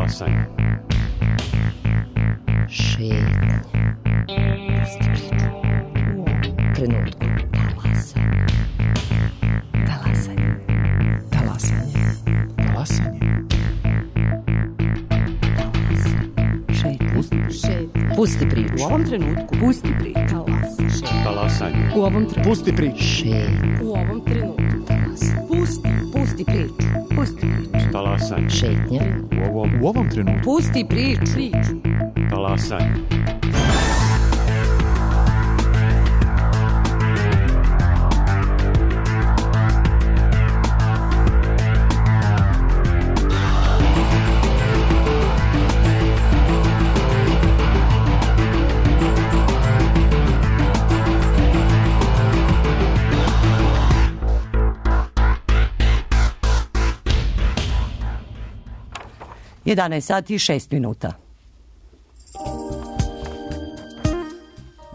Talasanje. Šetnje. Pusti priču. U ovom trenutku. Talasanje. Talasanje. Talasanje. Talasanje. Pusti priču. U ovom trenutku. Pusti priču. Talasanje. U ovom trenutku. Pusti priču. U ovom trenutku. Pusti priču. Pusti priču. Talasanje. Šetnja. U ovom trenutku. Pusti priču. Talasanje. sati i 6 minuta.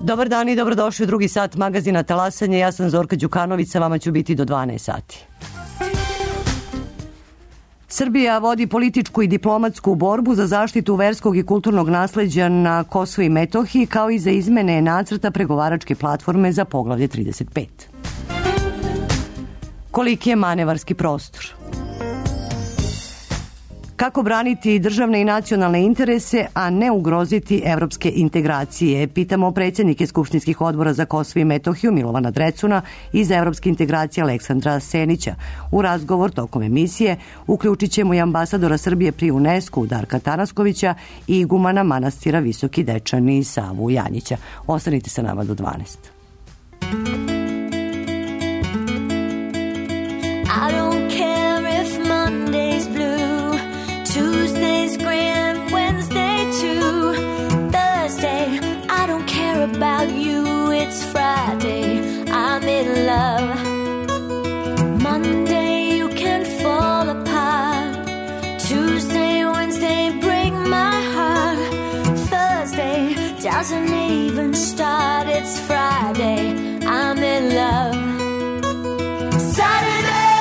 Dobar dan i dobrodošli u drugi sat magazina Talasanje. Ja sam Zorka Đukanović, sa vama ću biti do 12 sati. Srbija vodi političku i diplomatsku borbu za zaštitu verskog i kulturnog nasleđa na Kosovu i Metohiji, kao i za izmene nacrta pregovaračke platforme za poglavlje 35. Koliki je manevarski prostor? Kako braniti državne i nacionalne interese, a ne ugroziti evropske integracije? Pitamo predsjednike skupštinskih odbora za Kosovo i Metohiju Milovana Drecuna i za evropske integracije Aleksandra Senića. U razgovor tokom emisije uključit ćemo i ambasadora Srbije pri UNESCO Darka Tanaskovića i igumana manastira Visoki Dečani Savu Janjića. Ostanite sa nama do 12. I don't care if Monday's blue, Tuesday's grand, Wednesday too, Thursday, I don't care about you, it's Friday, I'm in love. Monday, you can fall apart, Tuesday, Wednesday, break my heart, Thursday, doesn't even start, it's Friday, I'm in love. Saturday,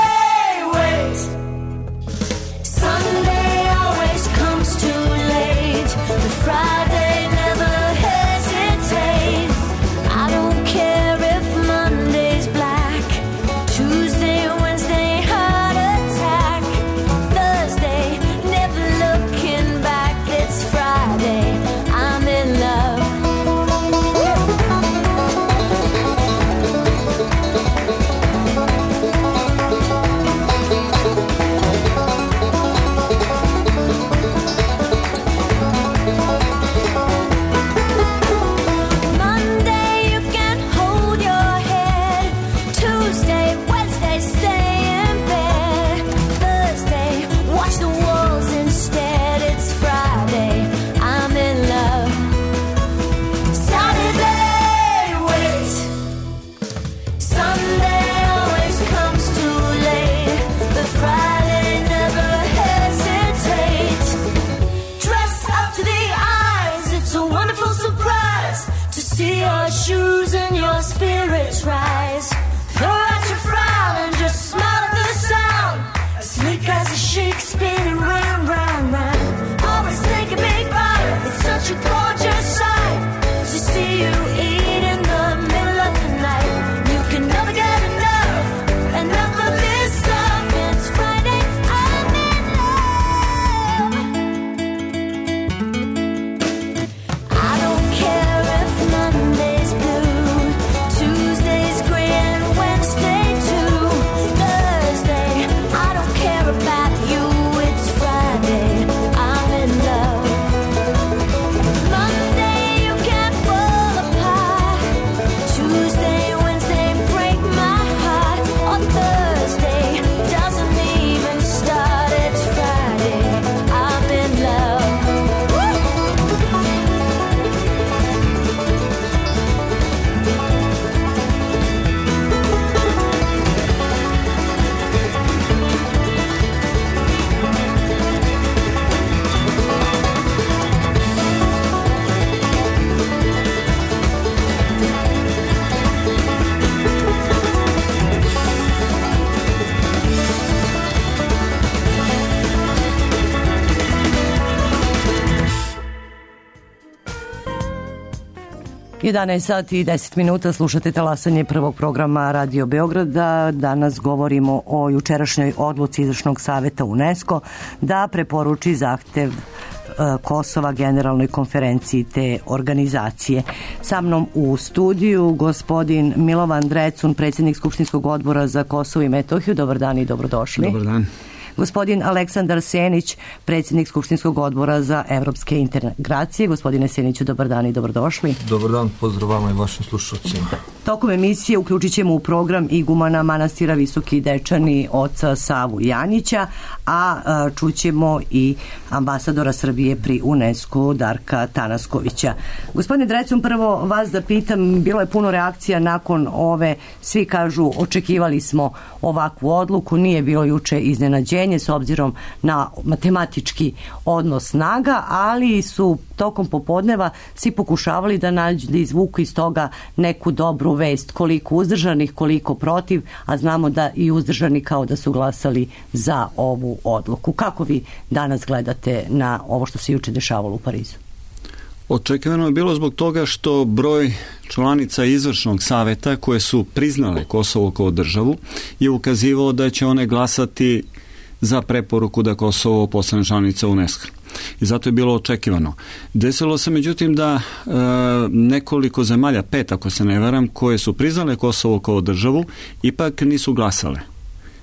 11 sati i 10 minuta, slušate talasanje prvog programa Radio Beograda. Danas govorimo o jučerašnjoj odluci Izvršnog saveta UNESCO da preporuči zahtev Kosova Generalnoj konferenciji te organizacije. Sa mnom u studiju gospodin Milovan Drecun, predsjednik Skupštinskog odbora za Kosovo i Metohiju. Dobar dan i dobrodošli. Dobar dan. Gospodin Aleksandar Senić, predsjednik Skupštinskog odbora za evropske integracije. Gospodine Seniću, dobar dan i dobrodošli. Dobar dan, pozdrav vama i vašim slušalcima. Tokom emisije uključit ćemo u program igumana manastira Visoki Dečani oca Savu Janjića, a čućemo i ambasadora Srbije pri UNESCO Darka Tanaskovića. Gospodine Drecun, prvo vas da pitam, bilo je puno reakcija nakon ove, svi kažu očekivali smo ovakvu odluku, nije bilo juče iznenađenje s obzirom na matematički odnos snaga, ali su tokom popodneva svi pokušavali da izvuku iz toga neku dobru vest, koliko uzdržanih, koliko protiv, a znamo da i uzdržani kao da su glasali za ovu odluku. Kako vi danas gledate na ovo što se juče dešavalo u Parizu? Očekivano je bilo zbog toga što broj članica Izvršnog saveta koje su priznale Kosovo kao državu je ukazivao da će one glasati za preporuku da Kosovo postane članica UNESCO. I zato je bilo očekivano. Desilo se međutim da nekoliko zemalja, 5 ako se ne varam, koje su priznale Kosovo kao državu, ipak nisu glasale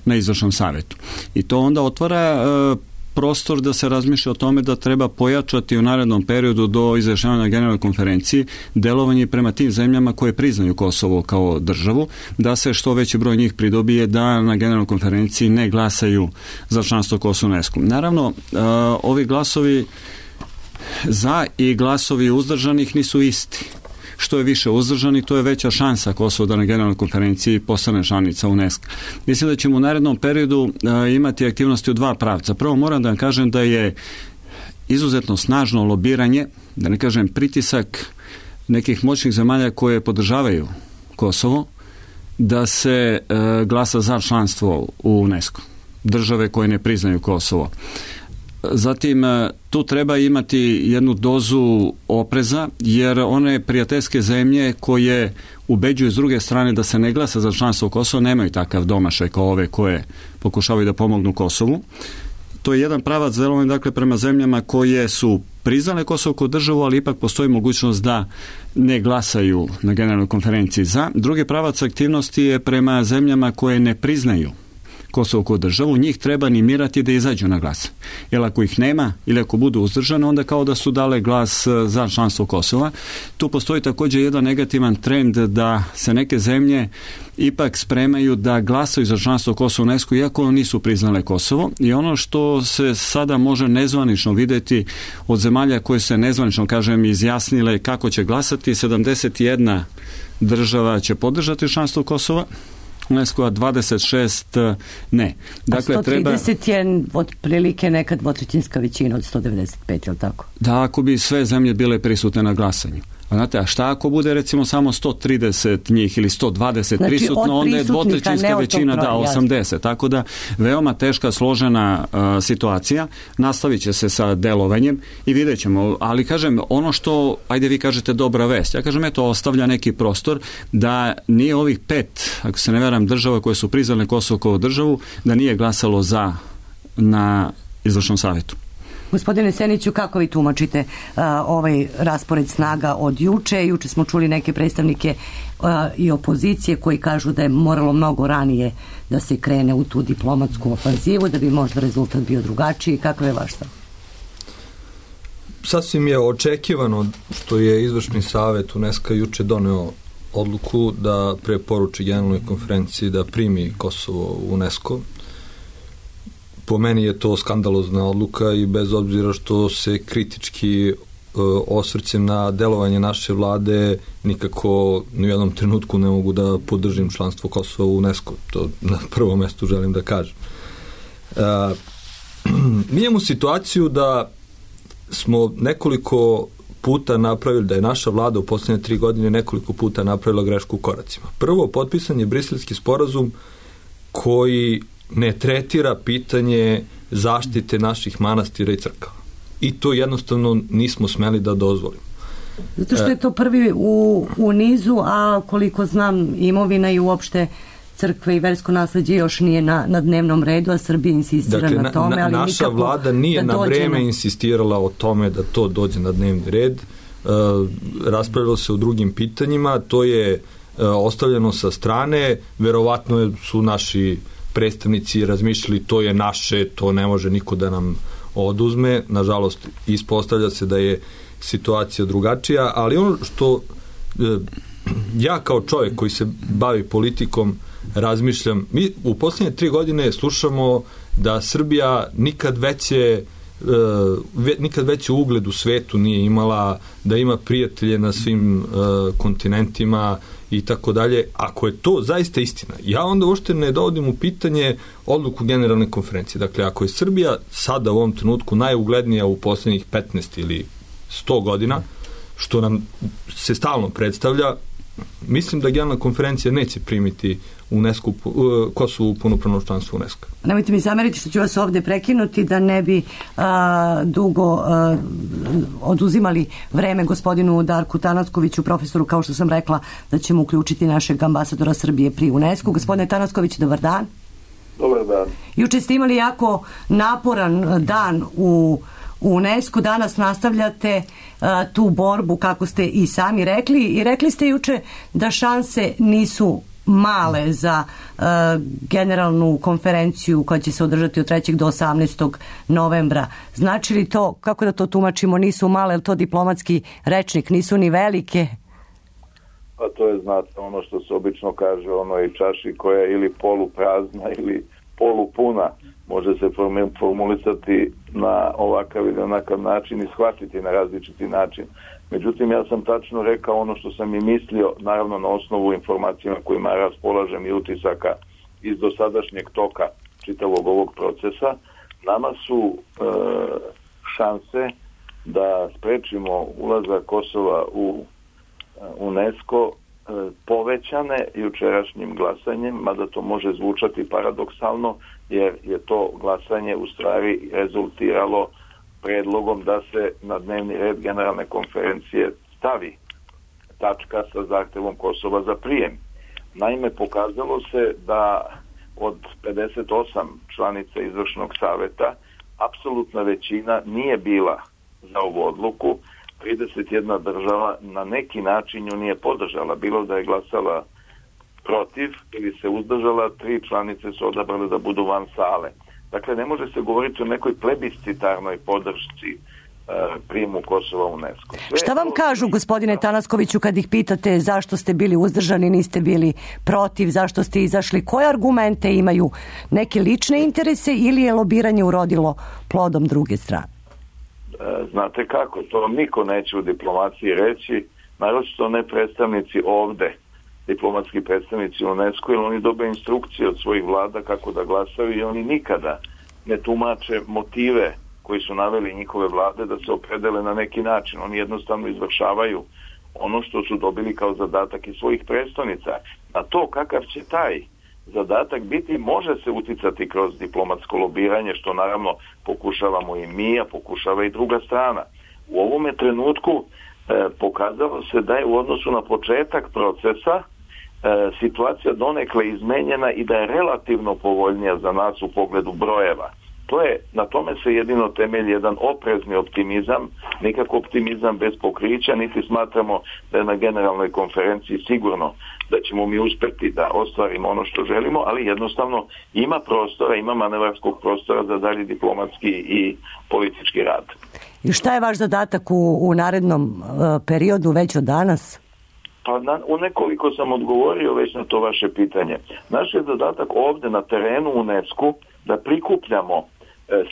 na Izvršnom savetu. I to onda otvara prostor da se razmišlja o tome da treba pojačati u narednom periodu do izjašnjavanja Generalnoj konferenciji delovanje prema tim zemljama koje priznaju Kosovo kao državu, da se što veći broj njih pridobije da na Generalnoj konferenciji ne glasaju za članstvo Kosova u UNESCO. Naravno, ovi glasovi za i glasovi uzdržanih nisu isti. Što je više uzdržani, to je veća šansa Kosovo da na Generalnoj konferenciji postane članica UNESCO. Mislim da ćemo u narednom periodu imati aktivnosti u dva pravca. Prvo moram da vam kažem da je izuzetno snažno lobiranje, da ne kažem pritisak nekih moćnih zemalja koje podržavaju Kosovo, da se glasa za članstvo u UNESCO. Države koje ne priznaju Kosovo. Zatim, tu treba imati jednu dozu opreza, jer one prijateljske zemlje koje ubeđuju s druge strane da se ne glasa za članstvo Kosova nemaju takav domašaj kao ove koje pokušavaju da pomognu Kosovu. To je jedan pravac delovanja, dakle, prema zemljama koje su priznale Kosovo kao državu, ali ipak postoji mogućnost da ne glasaju na Generalnoj konferenciji za. Drugi pravac aktivnosti je prema zemljama koje ne priznaju Kosovo kao državu, njih treba animirati da izađu na glas. Jer ako ih nema ili ako budu uzdržane, onda kao da su dale glas za članstvo Kosova. Tu postoji također jedan negativan trend da se neke zemlje ipak spremaju da glasaju za članstvo Kosova u UNESCO, iako nisu priznale Kosovo. I ono što se sada može nezvanično vidjeti od zemalja koje se nezvanično, kažem, izjasnile kako će glasati, 71 država će podržati članstvo Kosova UNESCO, a 26 ne. Dakle, a 130 je otprilike neka dvotrećinska većina od 195, je li tako? Da, ako bi sve zemlje bile prisutne na glasanju. A znate, a šta ako bude recimo samo 130 njih ili 120 znači, prisutno, onda je dvotrećinska većina, da, 80. Jasno. Tako da, veoma teška, složena situacija. Nastavit će se sa delovanjem i vidjet ćemo. Ali kažem, ono što, ajde vi kažete dobra vest, ja kažem, eto, ostavlja neki prostor da nije ovih 5, ako se ne veram, država koje su priznale Kosovo kao državu, da nije glasalo za na Izvršnom savetu. Gospodine Seniću, kako vi tumačite ovaj raspored snaga od juče? Juče smo čuli neke predstavnike i opozicije koji kažu da je moralo mnogo ranije da se krene u tu diplomatsku ofanzivu, da bi možda rezultat bio drugačiji. Kakav je vaš stav? Sasvim je očekivano što je Izvršni savet UNESCO juče doneo odluku da preporuči Generalnoj konferenciji da primi Kosovo u UNESCO. Po meni je to skandalozna odluka i bez obzira što se kritički osvrćem na delovanje naše vlade, nikako ni u jednom trenutku ne mogu da podržim članstvo Kosova u UNESCO. To na prvom mjestu želim da kažem. Mi imamo situaciju da smo nekoliko puta napravili, da je naša vlada u posljednje 3 godine nekoliko puta napravila grešku u koracima. Prvo, potpisan je Briselski sporazum koji ne tretira pitanje zaštite naših manastira i crkava. I to jednostavno nismo smeli da dozvolimo. Zato što je to prvi u nizu, a koliko znam imovina i uopšte crkve i versko nasleđe još nije na dnevnom redu, a Srbija insistira na tome. Ali naša vlada nije na vreme insistirala o tome da to dođe na dnevni red. Raspravljalo se o drugim pitanjima, to je ostavljeno sa strane, verovatno su naši predstavnici razmišljali to je naše, to ne može niko da nam oduzme. Nažalost, ispostavlja se da je situacija drugačija, ali ono što ja kao čovjek koji se bavi politikom razmišljam, mi u posljednje 3 godine slušamo da Srbija nikad veći ugled u svetu nije imala, da ima prijatelje na svim kontinentima i tako dalje. Ako je to zaista istina, ja onda uopšte ne dovodim u pitanje odluku generalne konferencije. Dakle, ako je Srbija sada u ovom trenutku najuglednija u posljednjih 15 ili 100 godina, što nam se stalno predstavlja, mislim da generalna konferencija neće primiti UNESCO, Kosovo u punopravno članstvo UNESCO. Nemojte mi zameriti što ću vas ovdje prekinuti da ne bi dugo oduzimali vreme gospodinu Darku Tanaskoviću, profesoru, kao što sam rekla, da ćemo uključiti našeg ambasadora Srbije pri UNESCO. Gospodine Tanasković, dobar dan. Dobar dan. Juče ste imali jako naporan dan u UNESCO, danas nastavljate tu borbu, kako ste i sami rekli, i rekli ste juče da šanse nisu male za generalnu konferenciju koja će se održati od 3. do 18. novembra. Znači li to, kako da to tumačimo, nisu male, je to diplomatski rečnik, nisu ni velike? Pa to je, znate, ono što se obično kaže, ono i čaši koja je ili poluprazna ili polupuna, može se formulisati na ovakav ili onakav način i shvatiti na različiti način. Međutim, ja sam tačno rekao ono što sam i mislio, naravno na osnovu informacijama kojima raspolažem i utisaka iz dosadašnjeg toka čitavog ovog procesa. Nama su šanse da sprečimo ulazak Kosova u UNESCO povećane jučerašnjim glasanjem, mada to može zvučati paradoksalno, jer je to glasanje u stvari rezultiralo predlogom da se na dnevni red generalne konferencije stavi tačka sa zahtevom Kosova za prijem. Naime, pokazalo se da od 58 članica izvršnog saveta apsolutna većina nije bila za ovu odluku. 31 država na neki način ju nije podržala, bilo da je glasala protiv ili se uzdržala, 3 članice su odabrale da budu van sale. Dakle, ne može se govoriti o nekoj plebiscitarnoj podršci prijemu Kosova u UNESCO. Šta vam kažu, gospodine Tanaskoviću, kad ih pitate zašto ste bili uzdržani, niste bili protiv, zašto ste izašli? Koje argumente imaju? Neke lične interese ili je lobiranje urodilo plodom druge strane? Znate kako, to niko neće u diplomaciji reći, naročito ne predstavnici ovde, diplomatski predstavnici UNESCO, jer oni dobiju instrukcije od svojih vlada kako da glasaju i oni nikada ne tumače motive koji su naveli njihove vlade da se opredele na neki način. Oni jednostavno izvršavaju ono što su dobili kao zadatak iz svojih predstavnica. Na to kakav će taj zadatak biti, može se uticati kroz diplomatsko lobiranje, što naravno pokušavamo i mi, a pokušava i druga strana. U ovome trenutku pokazalo se da je u odnosu na početak procesa situacija donekle izmenjena i da je relativno povoljnija za nas u pogledu brojeva. Na tome se jedino temelji jedan oprezni optimizam, nikako optimizam bez pokrića, niti smatramo da je na generalnoj konferenciji sigurno da ćemo mi uspjeti da ostvarimo ono što želimo, ali jednostavno ima prostora, ima manevarskog prostora za dalji diplomatski i politički rad. I šta je vaš zadatak u narednom periodu već od danas? Pa u nekoliko sam odgovorio već na to vaše pitanje. Naš je zadatak ovdje na terenu u UNESCO da prikupljamo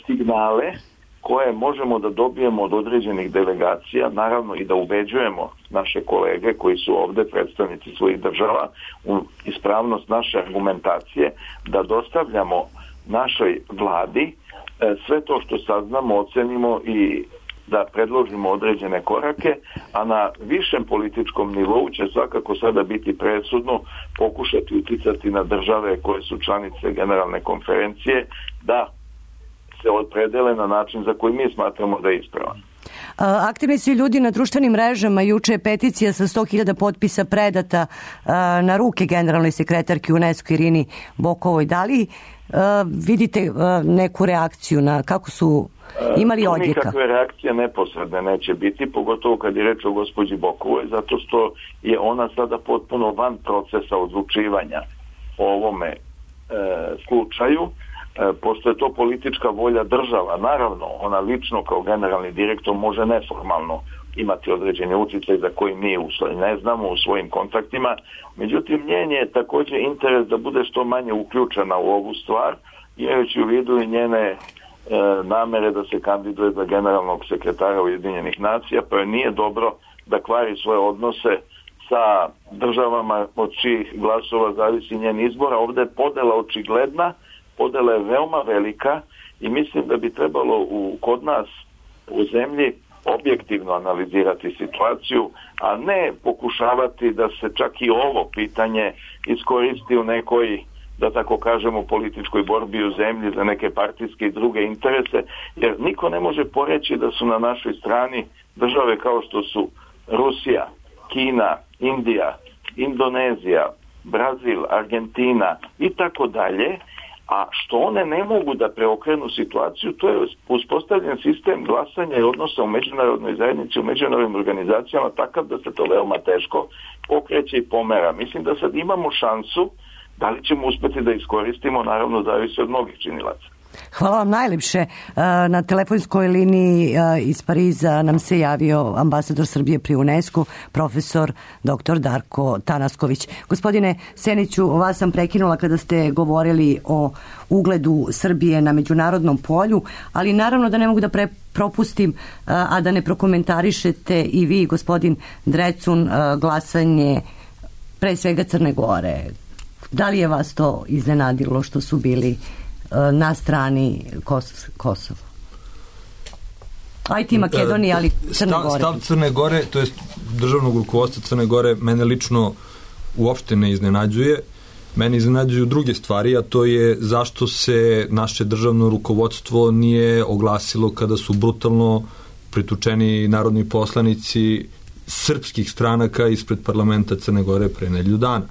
signale koje možemo da dobijemo od određenih delegacija, naravno i da ubeđujemo naše kolege koji su ovdje predstavnici svojih država u ispravnost naše argumentacije, da dostavljamo našoj vladi sve to što saznamo, ocenimo i da predložimo određene korake, a na višem političkom nivou će svakako sada biti presudno pokušati uticati na države koje su članice generalne konferencije da se opredele na način za koji mi smatramo da je ispravan. Aktivni su ljudi na društvenim mrežama. Juče je peticija sa 100.000 potpisa predata na ruke generalnoj sekretarki UNESCO Irini Bokovoj. Da li vidite neku reakciju na kako su imali odjeka? Nikakve reakcije neposredne neće biti, pogotovo kad je reč o gospođi Bokovoj, zato što je ona sada potpuno van procesa odlučivanja o ovome slučaju. Pošto je to politička volja država, naravno, ona lično kao generalni direktor može neformalno imati određene utjecaj za koji mi ne znamo u svojim kontaktima. Međutim, njen je također interes da bude što manje uključena u ovu stvar, imajući u vidu i njene namere da se kandiduje za generalnog sekretara Ujedinjenih nacija, pa nije dobro da kvari svoje odnose sa državama od čijih glasova zavisi njen izbor. Ovdje je podela očigledna, podela je veoma velika i mislim da bi trebalo kod nas u zemlji objektivno analizirati situaciju, a ne pokušavati da se čak i ovo pitanje iskoristi u nekoj, da tako kažemo, političkoj borbi u zemlji za neke partijske i druge interese, jer niko ne može poreći da su na našoj strani države kao što su Rusija, Kina, Indija, Indonezija, Brazil, Argentina i tako dalje, a što one ne mogu da preokrenu situaciju, to je uspostavljen sistem glasanja i odnosa u međunarodnoj zajednici, u međunarodnim organizacijama, takav da se to veoma teško pokreće i pomera. Mislim da sad imamo šansu, da li ćemo uspjeti da iskoristimo, naravno zavisi od mnogih činilaca. Hvala vam najljepše. Na telefonskoj liniji iz Pariza nam se javio ambasador Srbije pri UNESCO, profesor dr. Darko Tanasković. Gospodine Seniću, vas sam prekinula kada ste govorili o ugledu Srbije na međunarodnom polju, ali naravno da ne mogu da propustim, a da ne prokomentarišete i vi, gospodin Drecun, glasanje pre svega Crne Gore. Da li je vas to iznenadilo što su bili na strani Kosova? Ajde Makedonija, ali Crne Gore. Stav Crne Gore, to je državnog rukovodstva Crne Gore, mene lično uopšte ne iznenađuje. Mene iznenađuju druge stvari, a to je zašto se naše državno rukovodstvo nije oglasilo kada su brutalno pritučeni narodni poslanici srpskih stranaka ispred parlamenta Crne Gore pre nedelju dana.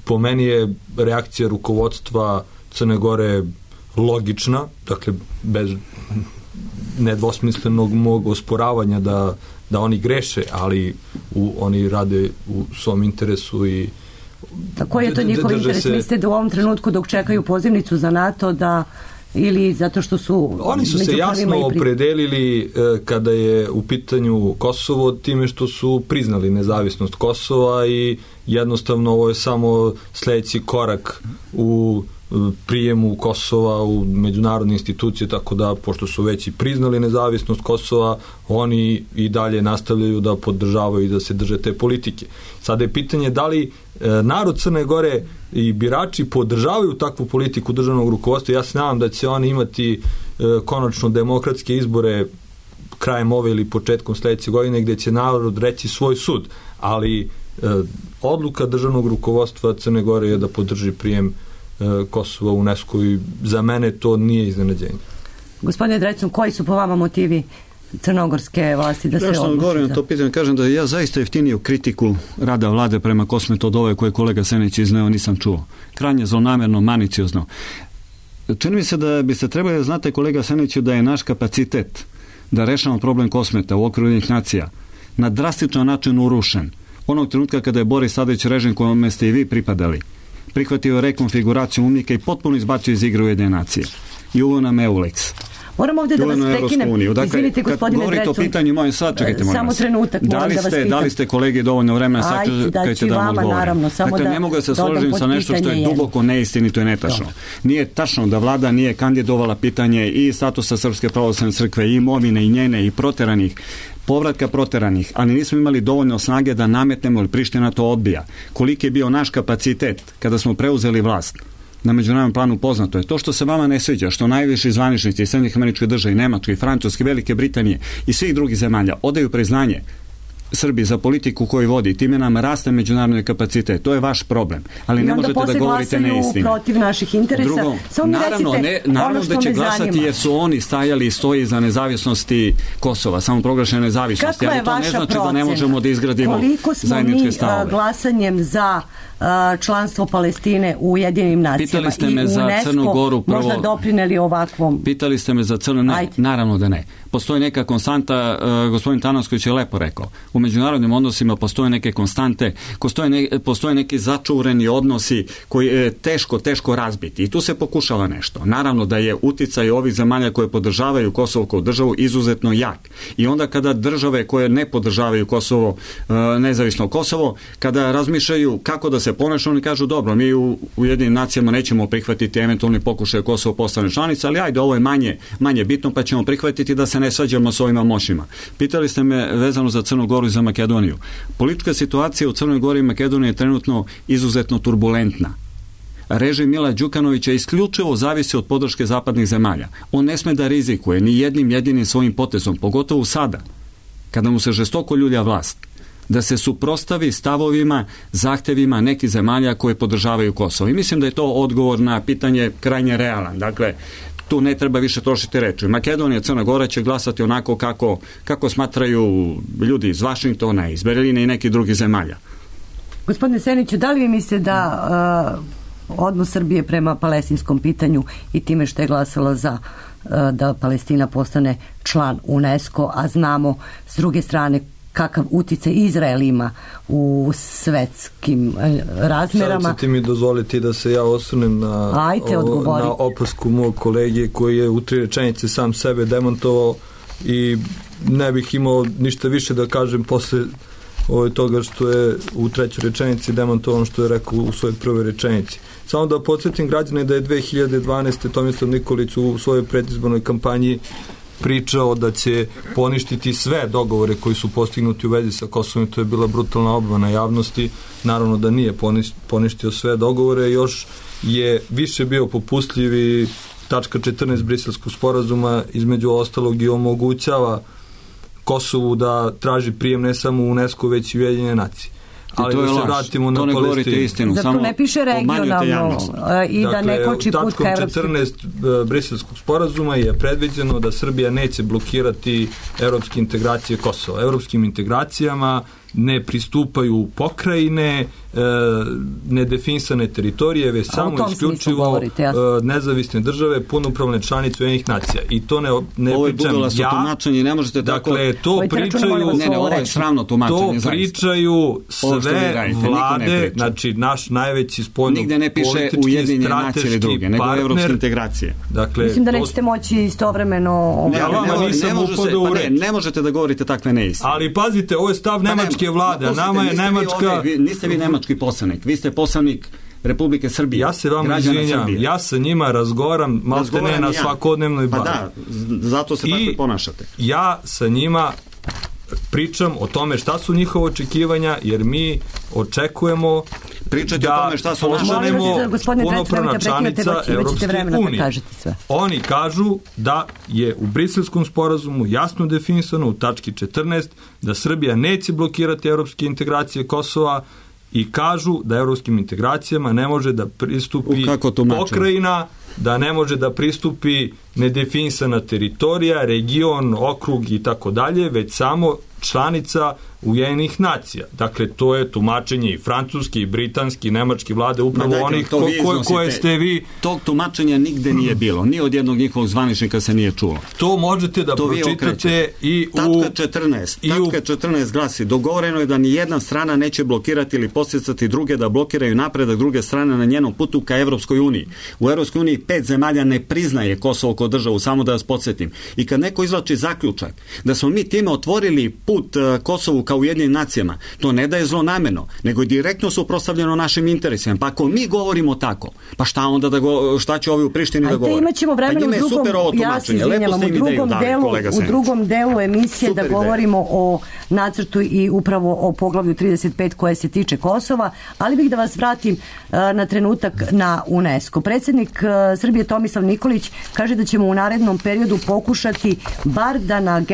Po meni je reakcija rukovodstva Crne Gore logična, dakle bez nedvosmislenog mog osporavanja da oni greše, ali oni rade u svom interesu i koji je to njihov interes? Mislite da u ovom trenutku dok čekaju pozivnicu za NATO da ili zato što su... Oni su se jasno opredelili kada je u pitanju Kosovo time što su priznali nezavisnost Kosova i jednostavno ovo je samo sljedeći korak u prijemu Kosova u međunarodne institucije, tako da pošto su već i priznali nezavisnost Kosova, oni i dalje nastavljaju da podržavaju i da se drže te politike. Sada je pitanje da li narod Crne Gore i birači podržavaju takvu politiku državnog rukovodstva. Ja se nadam da će oni imati konačno demokratske izbore krajem ove ili početkom sljedeće godine gdje će narod reći svoj sud, ali odluka državnog rukovodstva Crne Gore je da podrži prijem Kosova u UNESCO i za mene to nije iznenađenje. Gospodine Drecun, koji su po vama motivi crnogorske vlasti da se odluči? Ja sam govorio na to pitanje, kažem da ja zaista jeftiniju kritiku rada vlade prema Kosmetu od ove koje kolega Senić izneo nisam čuo. Krajnje zlonamerno, maliciozno. Čini mi se da biste trebali da znate, kolega Seniću, da je naš kapacitet da rešavamo problem Kosmeta u okviru Ujedinjenih nacija na drastičan način urušen. Onog trenutka kada je Boris Tadić, režim kojom ste i vi pripadali, prihvatio rekonfiguraciju UNMIK-a i potpuno izbacio iz igre Ujedinjene nacije. I uveo nam EULEX. Moram ovdje da vas prekinem. Dakle, izvinite, gospodine govorite Drecun. O pitanju mojem sad, čekajte, molim samo vas. trenutak, moram da vas pitam. Da li ste kolegi dovoljno vremena, sad čekajte da vam odgovorim. Naravno, samo dakle, ne mogu da se složim sa nešto što je duboko neistinito i netačno. Nije tačno da vlada nije kandidovala pitanje i statusa Srpske pravoslavne crkve, i imovine, i njene, i proteranih, povratka proteranih, ali nismo imali dovoljno snage da nametnemo, ili Priština to odbija. Koliki je bio naš kapacitet kada smo preuzeli vlast? Na međunarodnom planu poznato je to što se vama ne sviđa, što najviši zvaničnici iz Sjedinjenih Američkih Država i Nemačke i Francuske, Velike Britanije i svih drugih zemalja odaju priznanje Srbiji za politiku koju vodi, time nam raste međunarodni kapacitet. To je vaš problem. Ali ne možete da govorite neistinu. Protiv naših interesa. Drugo, naravno da će glasati jer su oni stajali i stoji za nezavisnosti Kosova, samo proglašene nezavisnosti. Ali to ne znači da ne možemo da izgradimo zajedničke stavove. Koliko smo mi glasanjem za članstvo Palestine u Ujedinjenim nacijama i UNESCO možda doprineli ovakvom? Pitali ste me za Crnu, ne, naravno da ne. Postoji neka konstanta, gospodin Tanasković je lepo rekao, u međunarodnim odnosima postoje neke konstante, postoje neki začureni odnosi koji je teško razbiti i tu se pokušava nešto. Naravno da je uticaj ovih zemalja koje podržavaju Kosovo kao državu izuzetno jak. I onda kada države koje ne podržavaju Kosovo, nezavisno Kosovo, kada razmišljaju kako da se ponaša, oni kažu dobro, mi u Ujedinjenim nacijama nećemo prihvatiti eventualni pokušaj Kosovo postane članica, ali ajde, ovo je manje bitno, pa ćemo prihvatiti da se ne svađamo s ovima moćima. Pitali ste me vezano za Crnu Goru i za Makedoniju. Politička situacija u Crnoj Gori i Makedoniji je trenutno izuzetno turbulentna. Režim Mila Đukanovića isključivo zavisi od podrške zapadnih zemalja. On ne sme da rizikuje ni jednim jedinim svojim potezom, pogotovo sada, kada mu se žestoko ljulja vlast, da se suprotstavi stavovima, zahtevima nekih zemalja koje podržavaju Kosovo. I mislim da je to odgovor na pitanje krajnje realan. Dakle, tu ne treba više trošiti reči. Makedonija, Crna Gora će glasati onako kako smatraju ljudi iz Vašingtona, iz Berlina i nekih drugih zemalja. Gospodine Seniću, da li vi mislite da odnos Srbije prema palestinskom pitanju i time što je glasala za da Palestina postane član UNESCO, a znamo s druge strane kakav uticaj Izrael ima u svetskim razmerama. Sad ćete mi dozvoliti da se ja osvrnem na opasku mog kolege koji je u 3 rečenice sam sebe demontovao i ne bih imao ništa više da kažem posle toga što je u 3. rečenici demontovano što je rekao u svojoj prvoj rečenici. Samo da podsjetim građane da je 2012. Tomislav Nikolić u svojoj predizbornoj kampanji pričao da će poništiti sve dogovore koji su postignuti u vezi sa Kosovom i to je bila brutalna obmana javnosti. Naravno da nije poništio sve dogovore, još je više bio popustljiv i tačka 14 Briselskog sporazuma između ostalog i omogućava Kosovu da traži prijem ne samo u UNESCO već i Ujedinjene nacije. Ali to da je se vratimo na Palestinu. Zato ne piše regionalno i da ne koči put ka evropskim. Tačkom 14 Briselskog sporazuma je predviđeno da Srbija neće blokirati evropske integracije Kosova. Evropskim integracijama ne pristupaju pokrajine, nedefinisane teritorije, već samo isključivo nezavisne države, punopravne članice Ujedinjenih nacija. I to ne pričam ja. Tumačenje, ne možete dakle, to pričaju ovo je sramno tumačenje. To pričaju sve vlade, znači naš najveći spoljno politički strateški partner. Dakle, mislim da nećete moći istovremeno ne možete da govorite takve neistine. Ali pazite, ovo je stav nemačke vlade, a nama je Nemačka... Niste vi nemački poslanik, vi ste poslanik Republike Srbije. Ja se vam izvinjam, ja sa njima razgovaram maltene na svakodnevnoj bazi. Pa da, zato se tako i ponašate. Ja sa njima pričam o tome šta su njihova očekivanja, jer mi očekujemo pričati o tome šta su postanemo punopravna članica Evropske unije. Oni kažu da je u Briselskom sporazumu jasno definisano u tački 14 da Srbija neće blokirati evropske integracije Kosova i kažu da evropskim integracijama ne može da pristupi pokrajina, da ne može da pristupi nedefinisana teritorija, region, okrug i tako dalje, već samo članica Ujedinjenih nacija. Dakle, to je tumačenje i francuski, i britanski, i nemački vlade, upravo onih koje ste vi... Tog tumačenja nigde nije bilo. Ni od jednog njihovog zvaničnika se nije čulo. To možete da pročitate i u... Tačka 14 glasi, dogovoreno je da ni jedna strana neće blokirati ili podsticati druge da blokiraju napredak druge strane na njenom putu ka Evropskoj uniji. U Evropskoj uniji 5 zemalja ne priznaje Kosovo kao državu, samo da vas podsjetim. I kad neko izvlači zaključak da smo mi time otvorili put Kosovu kao Ujedinjenim nacijama, to ne da je zlonameno, nego je direktno suprotstavljeno našim interesima. Pa ako mi govorimo tako, pa šta onda šta će ovi u Prištini da govore? Imaćemo vremena u drugom delu emisije da govorimo o nacrtu i upravo o poglavlju 35 koje se tiče Kosova, ali bih da vas vratim na trenutak na UNESCO. Predsjednik Srbije Tomislav Nikolić kaže da ćemo u narednom periodu pokušati bar da na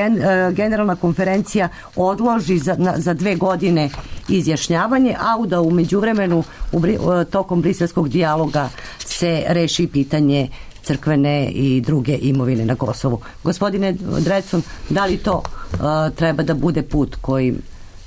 generalna konferencija odloži za 2 godine izjašnjavanje, a da u međuvremenu tokom briselskog dijaloga se reši pitanje crkvene i druge imovine na Kosovu. Gospodine Drecun, da li to treba da bude put koji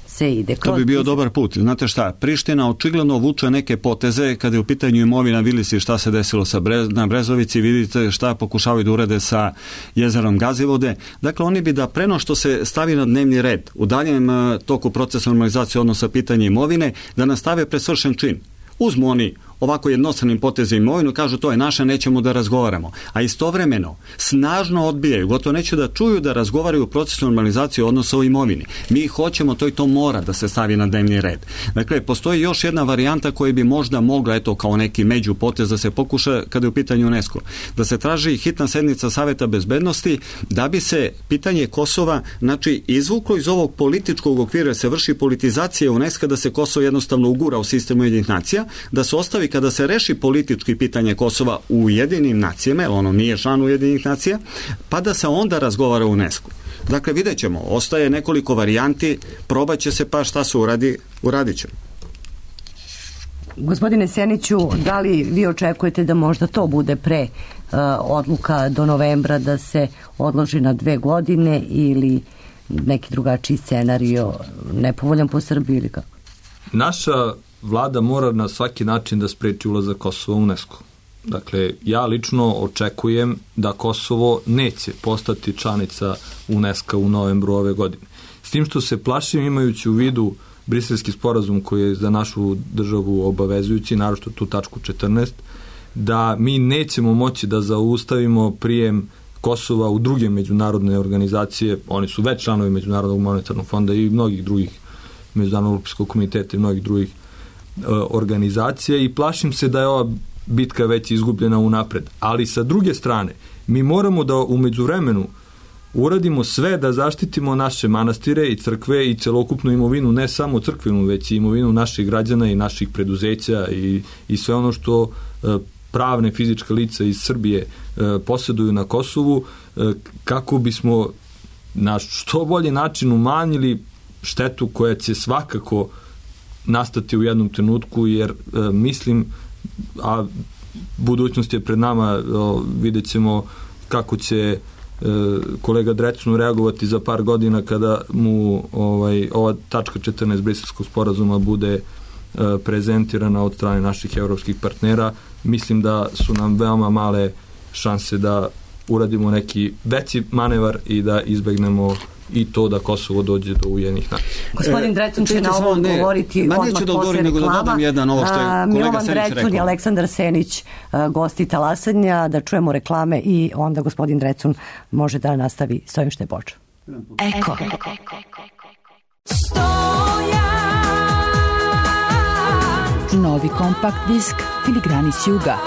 se ide? To bi bio dobar put. Znate šta, Priština očigledno vuče neke poteze kada je u pitanju imovina. Vidjeli ste šta se desilo na Brezovici, vidite šta pokušavaju da urede sa jezerom Gazivode. Dakle, oni bi da preno što se stavi na dnevni red u daljem toku procesa normalizacije odnosa pitanja imovine, da nastave presvršen čin. Uzmu oni ovako jednostranim potezom imovinu, kažu to je naše, nećemo da razgovaramo. A istovremeno snažno odbijaju, gotovo neće da čuju da razgovaraju u procesu normalizacije odnosa o imovini. Mi hoćemo to i to mora da se stavi na dnevni red. Dakle, postoji još jedna varijanta koja bi možda mogla, eto, kao neki međupotez da se pokuša kada je u pitanju UNESCO. Da se traži hitna sednica Saveta bezbednosti da bi se pitanje Kosova, znači, izvuklo iz ovog političkog okvira, se vrši politizacija UNESCO, da se Kosovo jednostavno ugura u sistemu Ujedinjenih nacija, da se ostavi kada se reši politički pitanje Kosova u Ujedinjenim nacijama, jer ono nije član Ujedinjenih nacija, pa da se onda razgovara u UNESCO. Dakle, vidjet ćemo, ostaje nekoliko varijanti, probat će se, pa šta se uradit ćemo. Gospodine Seniću, da li vi očekujete da možda to bude pre odluka do novembra da se odloži na 2 godine ili neki drugačiji scenario nepovoljan po Srbiji ili kako? Naša vlada mora na svaki način da spreči ulazak Kosova u UNESCO. Dakle, ja lično očekujem da Kosovo neće postati članica UNESCO u novembru ove godine. S tim što se plašim, imajući u vidu Briselski sporazum koji je za našu državu obavezujući, naročito tu tačku 14, da mi nećemo moći da zaustavimo prijem Kosova u druge međunarodne organizacije. Oni su već članovi Međunarodnog monetarnog fonda i mnogih drugih, Međunarodnog olimpijskog komiteta i mnogih drugih organizacija, i plašim se da je ova bitka već izgubljena unapred. Ali sa druge strane, mi moramo da u međuvremenu uradimo sve da zaštitimo naše manastire i crkve i celokupnu imovinu, ne samo crkvenu, već i imovinu naših građana i naših preduzeća i sve ono što pravne fizičke lica iz Srbije posjeduju na Kosovu, kako bismo na što bolji način umanjili štetu koja će svakako nastati u jednom trenutku, jer mislim, a budućnost je pred nama, vidjet ćemo kako će kolega Drecun reagovati za par godina kada mu ova tačka 14 Briselskog sporazuma bude prezentirana od strane naših evropskih partnera. Mislim da su nam veoma male šanse da uradimo neki veći manevar i da izbegnemo i to da Kosovo dođe do Ujedinjenih nacija. Gospodin Drecun će na ovo govoriti odmah posle reklama. Milovan Drecun i Aleksandar Senić, gosti Talasanja, da čujemo reklame i onda gospodin Drecun može da nastavi s ovim što je počeo. Eko. Novi kompakt disk Filigrani s juga.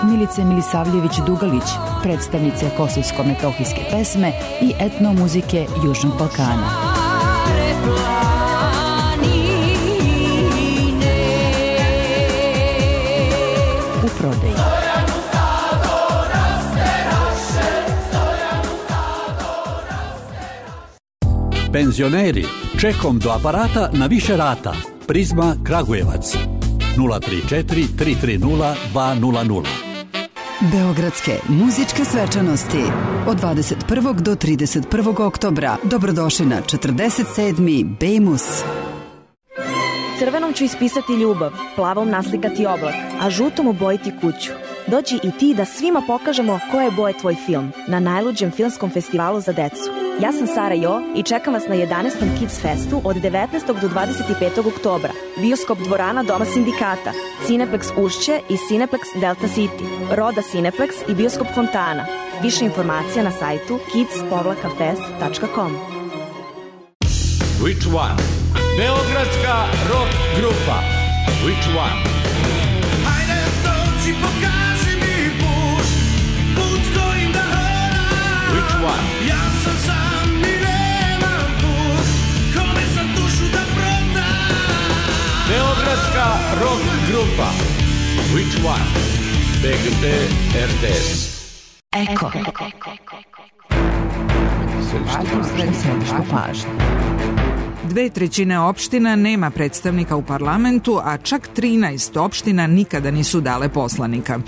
Milice Milisavljević-Dugalić, predstavnice kosovsko-metohijske pesme i etnomuzike Južnog Balkana. U prodaji. Penzioneri, čekom do aparata na više rata. Prizma Kragujevac 034 330 200. Beogradske muzičke svečanosti od 21. do 31. oktobra. Dobrodošli na 47. Bejmus. Crvenom ću ispisati ljubav, plavom naslikati oblak, a žutom obojiti kuću. Dođi i ti da svima pokažemo koje boje tvoj film na najluđem filmskom festivalu za decu. Ja sam Sara Jo i čekam vas na 11. Kids Festu od 19. do 25. oktobra. Bioskop dvorana Doma sindikata, Cineplex Ušće i Cineplex Delta City, Roda Cineplex i Bioskop Fontana. Više informacija na sajtu kids-fest.com. Which one? Beogradska rock grupa. Which one? Hajde dođi, pokaži mi put, put s kojim da hodam. Which one? Ja sam sam i nemam put, kome sam dušu da prodam. Beogradska rock grupa. Which one? BGT RTS. Eko. središtu pažnje. 2/3 opština nema predstavnika u parlamentu, a čak 13 opština nikada nisu dale poslanika.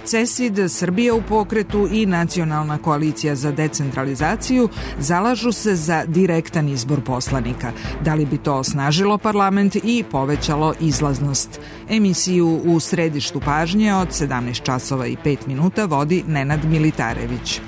CESID, Srbija u pokretu i Nacionalna koalicija za decentralizaciju zalažu se za direktan izbor poslanika. Da li bi to osnažilo parlament i povećalo izlaznost? Emisiju u središtu pažnje od 17 časova i 5 minuta vodi Nenad Militarević.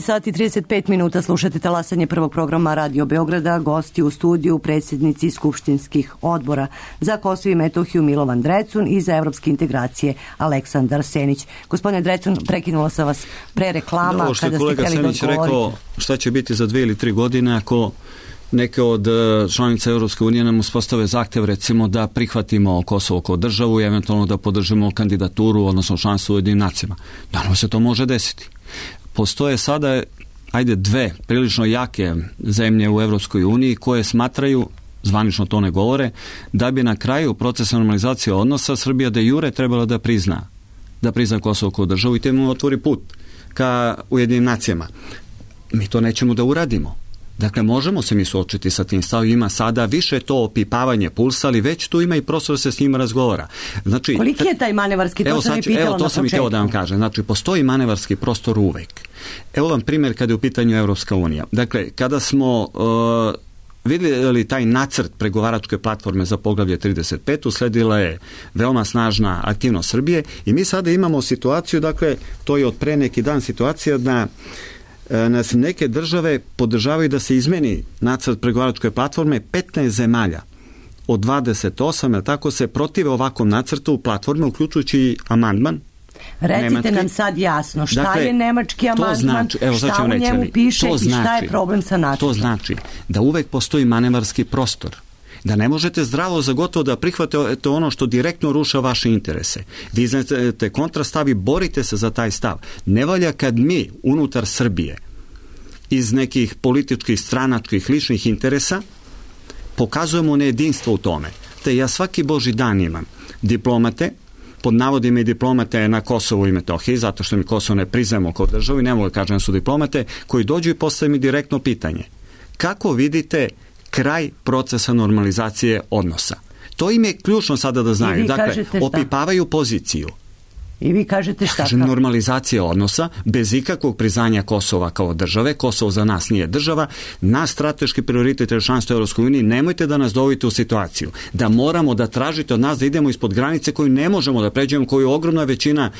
Sati i 35 minuta slušate talasanje prvog programa Radio Beograda. Gosti u studiju predsjednici skupštinskih odbora za Kosovo i Metohiju Milovan Drecun i za evropske integracije Aleksandar Senić. Gospodine Drecun, prekinula sam vas pre reklama kada ste htjeli da odgovorite. Kolega Senić rekao šta će biti za 2 ili 3 godine ako neke od članica Europske unije nam uspostave zahtev recimo da prihvatimo Kosovo kao državu i eventualno da podržimo kandidaturu, odnosno članstvo u Ujedinjenim nacijama. Naravno se to može desiti. Postoje sada, dve prilično jake zemlje u Evropskoj uniji koje smatraju, zvanično to ne govore, da bi na kraju procesa normalizacije odnosa Srbija de jure trebala da prizna Kosovo kao državu i te mu otvori put ka Ujedinjenim nacijama. Mi to nećemo da uradimo. Dakle, možemo se mi suočiti sa tim stavima sada, više to opipavanje pulsa, ali već tu ima i prostor da se s njima razgovara. Znači, koliki je taj manevarski, to sam i pitala na početku. Evo, to sam i htio da vam kažem. Znači, postoji manevarski prostor uvek. Evo vam primjer kada je u pitanju Evropska unija. Dakle, kada smo vidjeli taj nacrt pregovaračke platforme za poglavlje 35, usledila je veoma snažna aktivnost Srbije i mi sada imamo situaciju, dakle, to je od pre neki dan situacija da nas neke države podržavaju da se izmeni nacrt pregovaračke platforme. 15 zemalja od 28, jer tako se protive ovakvom nacrtu platforme, uključujući amandman. Recite nemački. Nam sad jasno šta je nemački amandman, znači, šta u njemu piše i šta je problem sa nacrtom. To znači da uvek postoji manevarski prostor. Da ne možete zdravo za gotovo da prihvatite ono što direktno ruša vaše interese. Vi znate kontrastav i borite se za taj stav. Ne valja kad mi unutar Srbije iz nekih političkih, stranačkih, ličnih interesa pokazujemo nejedinstvo u tome. Te ja svaki božji dan imam diplomate, pod navodima i diplomate na Kosovu i Metohiji, zato što mi Kosovo ne priznajemo kao državu i ne mogu da kažem da su diplomate, koji dođu i postave mi direktno pitanje. Kako vidite kraj procesa normalizacije odnosa? To im je ključno sada da znaju. Dakle, opipavaju poziciju. I vi kažete šta? Kažem, normalizacija odnosa bez ikakvog priznanja Kosova kao države. Kosovo za nas nije država. Naš strateški prioritet je članstvo u Europskoj uniji. Nemojte da nas dovodite u situaciju da moramo da tražite od nas da idemo ispod granice koju ne možemo da pređemo, koju ogromna većina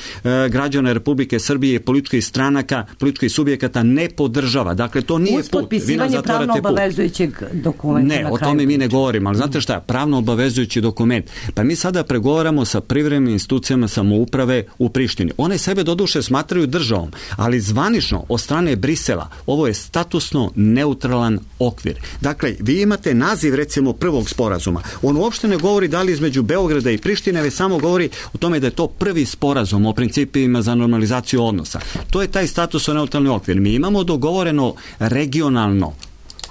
građana Republike Srbije i političkih stranaka, političkih subjekata ne podržava. Dakle, to nije put. Uz potpisivanje pravno obavezujućeg dokumenta. Ne, o tome mi ne govorimo. Ali znate šta? Pravno obavezujući dokument. Pa mi sada pregovaramo sa privremenim institucijama samouprave u Prištini. One sebe doduše smatraju državom, ali zvanično od strane Brisela ovo je statusno neutralan okvir. Dakle, vi imate naziv recimo prvog sporazuma. On uopšte ne govori da li između Beograda i Prištine, već samo govori o tome da je to prvi sporazum o principima za normalizaciju odnosa. To je taj statusno neutralni okvir. Mi imamo dogovoreno regionalno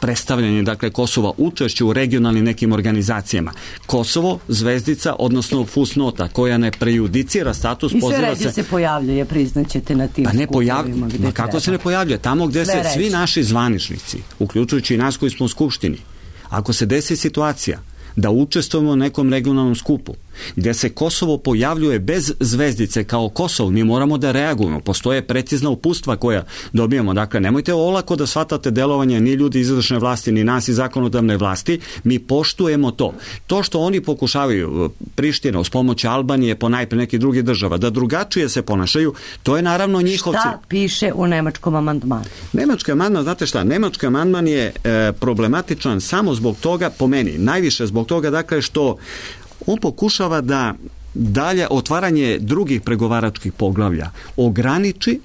predstavljanje, dakle, Kosova, učešće u regionalnim nekim organizacijama. Kosovo, zvezdica, odnosno fusnota, koja ne prejudicira status, i sve ređe se pojavljuje, priznaćete na tim skupovima. Kako se ne pojavljuje? Tamo gdje se svi naši zvaničnici, uključujući i nas koji smo u Skupštini, ako se desi situacija da učestvujemo u nekom regionalnom skupu gdje se Kosovo pojavljuje bez zvezdice kao Kosovo, mi moramo da reagujemo. Postoje precizna uputstva koja dobijemo. Dakle, nemojte olako da shvatate delovanje ni ljudi iz izvršne vlasti, ni nas iz zakonodavne vlasti. Mi poštujemo to. To što oni pokušavaju, Priština uz pomoć Albanije, ponajpre nekih drugih država, da drugačije se ponašaju, to je naravno njihov cilj. Šta piše u nemačkom amandmanu? Nemački amandman, znate šta, nemački amandman je problematičan samo zbog toga, po meni, najviše zbog toga, dakle, što on pokušava da dalje otvaranje drugih pregovaračkih poglavlja ograniči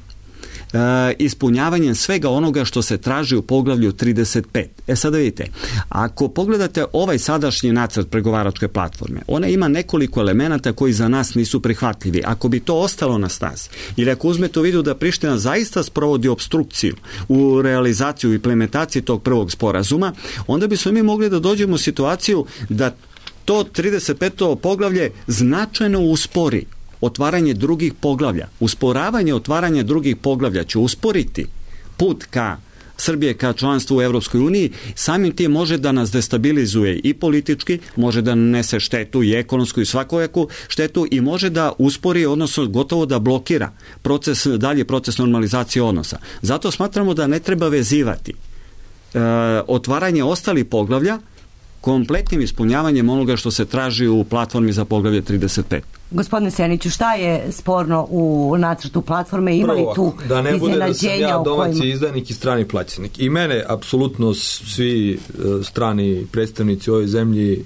ispunjavanjem svega onoga što se traži u poglavlju 35. Sada vidite, ako pogledate ovaj sadašnji nacrt pregovaračke platforme, ona ima nekoliko elemenata koji za nas nisu prihvatljivi. Ako bi to ostalo na snazi, ili ako uzmete u vidu da Priština zaista sprovodi opstrukciju u realizaciju i implementaciji tog prvog sporazuma, onda bismo mi mogli da dođemo u situaciju da to 35. poglavlje značajno uspori otvaranje drugih poglavlja. Usporavanje otvaranja drugih poglavlja će usporiti put ka Srbije ka članstvu u Evropskoj uniji, samim tim može da nas destabilizuje i politički, može da nanese štetu i ekonomsku i svakojaku štetu i može da uspori, odnosno gotovo da blokira dalji proces normalizacije odnosa. Zato smatramo da ne treba vezivati otvaranje ostalih poglavlja kompletnim ispunjavanjem onoga što se traži u platformi za poglavlje 35. Gospodine Seniću, šta je sporno u nacrtu platforme? Ima li tu iznenađenja? Da ne bude da sam ja domaći izdanik i strani plaćenik. I mene apsolutno svi strani predstavnici u ovoj zemlji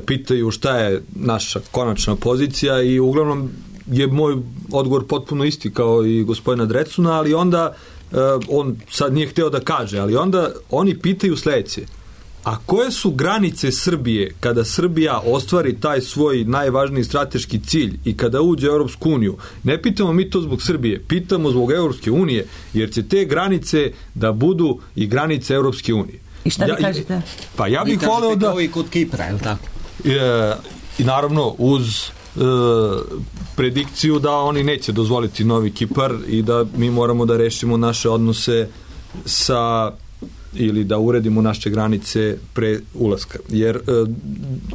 pitaju šta je naša konačna pozicija i uglavnom je moj odgovor potpuno isti kao i gospodina Drecuna, ali onda on sad nije hteo da kaže, ali onda oni pitaju sledeće: a koje su granice Srbije kada Srbija ostvari taj svoj najvažniji strateški cilj i kada uđe u Europsku uniju? Ne pitamo mi to zbog Srbije, pitamo zbog Europske unije, jer će te granice da budu i granice Europske unije. I šta vi kažete? Pa ja bih voleo da... Kao i kod Kipra, je li tako? I naravno uz predikciju da oni neće dozvoliti novi Kipar i da mi moramo da rešimo naše odnose sa ili da uredimo naše granice pre ulaska. Jer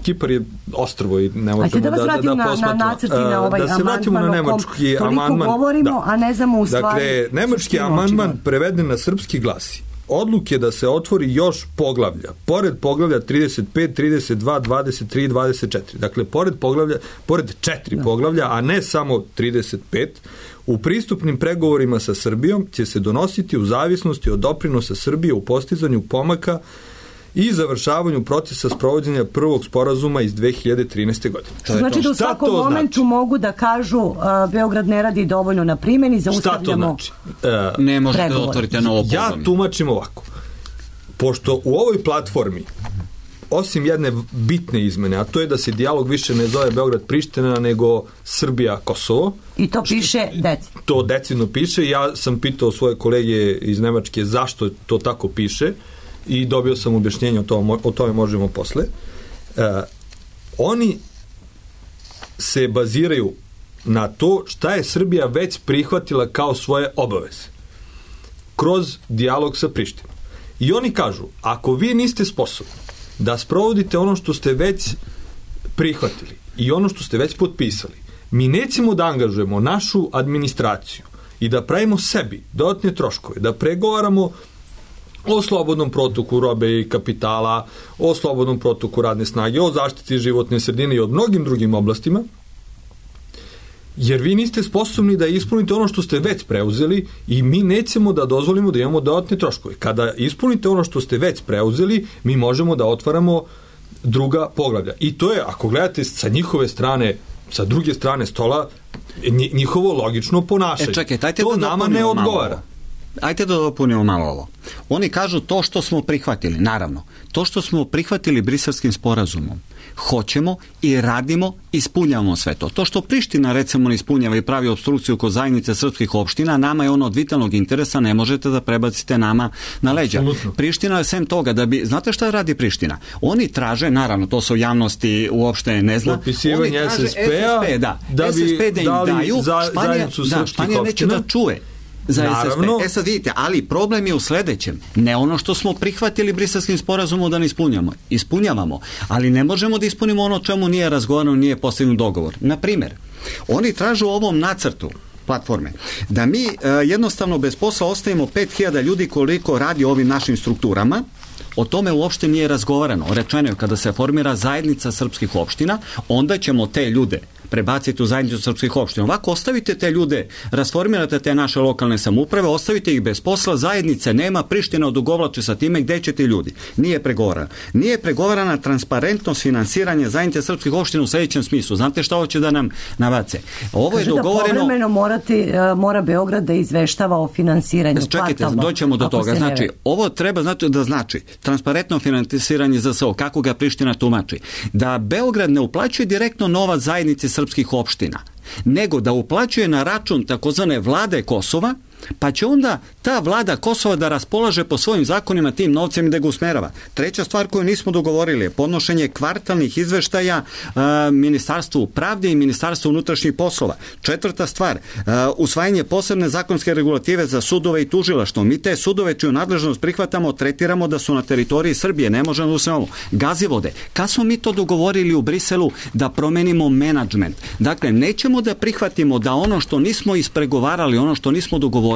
Kipar je ostrvo i ne možemo da posmatramo. Na nacrti na ovaj da se vratimo na nemački amandman. Toliko govorimo, a ne znamo u stvari. Dakle, nemački amandman preveden na srpski glasi: odluke da se otvori još poglavlja, pored poglavlja 35, 32, 23 i 24. Dakle, pored 4 poglavlja, a ne samo 35, u pristupnim pregovorima sa Srbijom će se donositi u zavisnosti od doprinosa Srbije u postizanju pomaka i završavanju procesa sprovođenja prvog sporazuma iz 2013. godine. Znači da u svakom momentu mogu da kažu Beograd ne radi dovoljno na primjeni, zaustavljamo znači? Ne možete da otvorite novo poglavlje. Ja tumačim ovako. Pošto u ovoj platformi osim jedne bitne izmene, a to je da se dijalog više ne zove Beograd-Priština, nego Srbija-Kosovo. I to piše decidno. To decidno piše. Ja sam pitao svoje kolege iz Nemačke zašto to tako piše i dobio sam objašnjenje, o tome možemo posle. Oni se baziraju na to šta je Srbija već prihvatila kao svoje obaveze kroz dijalog sa Prištinom. I oni kažu, ako vi niste sposobni da sprovodite ono što ste već prihvatili i ono što ste već potpisali, mi nećemo da angažujemo našu administraciju i da pravimo sebi dodatne troškove, da pregovaramo o slobodnom protoku robe i kapitala, o slobodnom protoku radne snage, o zaštiti životne sredine i o mnogim drugim oblastima, jer vi niste sposobni da ispunite ono što ste već preuzeli i mi nećemo da dozvolimo da imamo dodatne troškove. Kada ispunite ono što ste već preuzeli, mi možemo da otvaramo druga poglavlja. I to je, ako gledate sa njihove strane, sa druge strane stola, njihovo logično ponašanje. To nama ne odgovara. Ajde da dopunimo malo ovo. Oni kažu to što smo prihvatili, naravno, to što smo prihvatili Briselskim sporazumom, hoćemo i radimo, ispunjavamo sve to. To što Priština recimo ne ispunjava i pravi opstrukciju kod zajednice srpskih opština, nama je ono od vitalnog interesa, ne možete da prebacite nama na leđa. Absolutno. Priština je sem toga da bi, znate šta radi Priština? Oni traže, naravno, to se u javnosti uopšte ne zna. Potpisivanje SSP-a da bi SSP da im daju zajednicu srpskih Španija neće da čuje za naravno. SSP. Sad vidite, ali problem je u sledećem. Ne ono što smo prihvatili Briselskim sporazumom da ne ispunjavamo, ali ne možemo da ispunimo ono čemu nije razgovarano, nije postignut dogovor. Na primjer, oni tražu u ovom nacrtu platforme da mi jednostavno bez posla ostavimo 5000 ljudi koliko radi o ovim našim strukturama. O tome uopšte nije razgovarano. Rečeno je kada se formira zajednica srpskih opština, onda ćemo te ljude prebaciti u zajednicu srpskih opština. Ovako ostavite te ljude, rasformirate te naše lokalne samouprave, ostavite ih bez posla, zajednice nema, Priština odugovlači sa time, gde će ti ljudi? Nije pregovarana. Nije pregovarana transparentnost finansiranja zajednice srpskih opština u sljedećem smislu. Znate šta hoće da nam navace? Ovo je dogovoreno... Da povremeno mora Beograd da izveštava o finansiranju. Čekajte, doćemo do toga. Znači, ovo treba da znači transparentno finansiranje za SO, kako ga Priština tumači. Da Beograd ne uplaćuje direktno novac zajednici srpskih opština, nego da uplaćuje na račun takozvane vlade Kosova, pa će onda ta vlada Kosova da raspolaže po svojim zakonima tim novcem i da ga usmerava. Treća stvar koju nismo dogovorili je podnošenje kvartalnih izveštaja Ministarstvu pravde i Ministarstvu unutrašnjih poslova. Četvrta stvar, usvajanje posebne zakonske regulative za sudove i tužilaštvo. Mi te sudove čiju nadležnost prihvatamo, tretiramo da su na teritoriji Srbije, ne možemo da usvajamo. Gazivode. Kad smo mi to dogovorili u Briselu da promenimo menadžment? Dakle, nećemo da prihvatimo da ono što nismo ispregovarali, ono što nismo dogovorili,